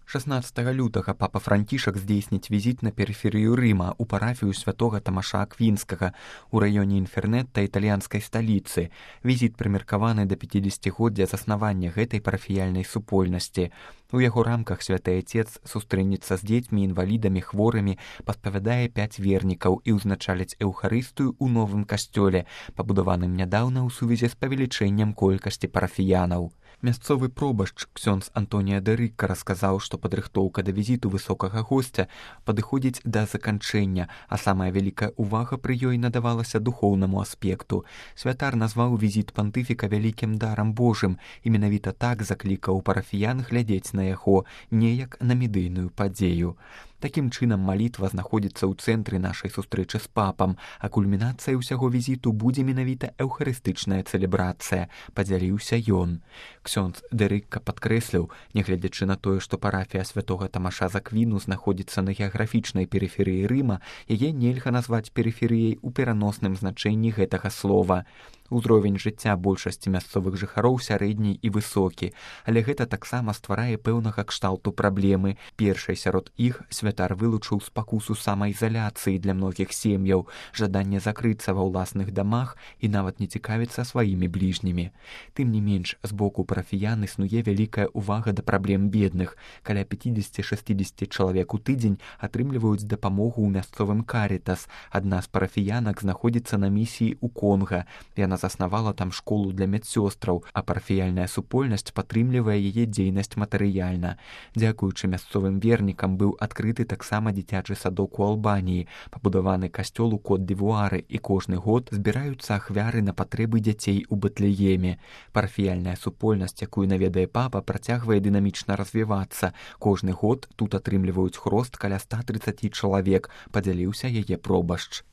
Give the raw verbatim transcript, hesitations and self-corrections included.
шаснаццатага лютага папа Францішак здзейсніць візіт на перыферыю Рыма ў парафію святога Тамаша Аквінскага у раёне Інфернетта італьянскай сталіцы. Візіт прымеркаваны да пяцідзесяцігоддзя заснавання гэтай парафіяльнай супольнасці. У яго рамках святы Отец сустрэнецца з дзецьмі, інвалідамі, хворымі, паспавядае пяць вернікаў і ўзначаліць эўхарыстыю ў новым касцёле, пабудаваным нядаўна ў сувязі з павелічэннем колькасці парафіянаў. Мясцовы пробашч ксёндз Антонія дэ Рыкка расказаў, што падрыхтоўка да візіту высокага госця падыходзіць да заканчэння, а самая вялікая ўвага пры ёй надавалася духоўнаму аспекту. Святар назваў візіт пантыфіка вялікім дарам Божым і менавіта так заклікаў парафіян глядзець на яго неяк на медыйную падзею. Такім чынам, малітва знаходзіцца ў цэнтры нашай сустрэчы з папам, а кульмінацыяй усяго візіту будзе менавіта эўхарыстычная цэлебрацыя, падзяліўся ён. Ксёндз дэ Рыкка падкрэсліў, нягледзячы на тое, што парафія святога Тамаша з Аквіну знаходзіцца на геаграфічнай перыферыі Рыма, яе нельга назваць перыферыяй у пераносным значэнні гэтага слова. Узровень жыцця большасці мясцовых жыхароў сярэдні і высокі, але гэта таксама стварае пэўнага кшталту праблемы. Першай сярод іх святар вылучыў спакусу самаізаляцыі для многіх сем'яў, жаданне закрыцца ва ўласных дамах і нават не цікавіцца сваімі бліжнімі. Тым не менш, з боку парафіян існуе вялікая ўвага да праблем бедных. Каля пяцідзесяці-шэсцідзесяці чалавек у тыдзень атрымліваюць дапамогу ў мясцовым Карітас. Адна з парафіянак знаходзіцца на місіі ў Конга. Яна заснавала там школу для медсёстраў, а парафіяльная супольнасць падтрымлівае яе дзейнасць матэрыяльна. Дзякуючы мясцовым вернікам быў адкрыты таксама дзіцячы садок у Албаніі, пабудаваны касцёл у Кот-д'Івуары, і кожны год збіраюцца ахвяры на патрэбы дзяцей у Бэтлееме. Парафіяльная супольнасць, якую наведае папа, працягвае дынамічна развівацца. Кожны год тут атрымліваюць хрост каля ста трыццаці чалавек, падзяліўся яе пробашч.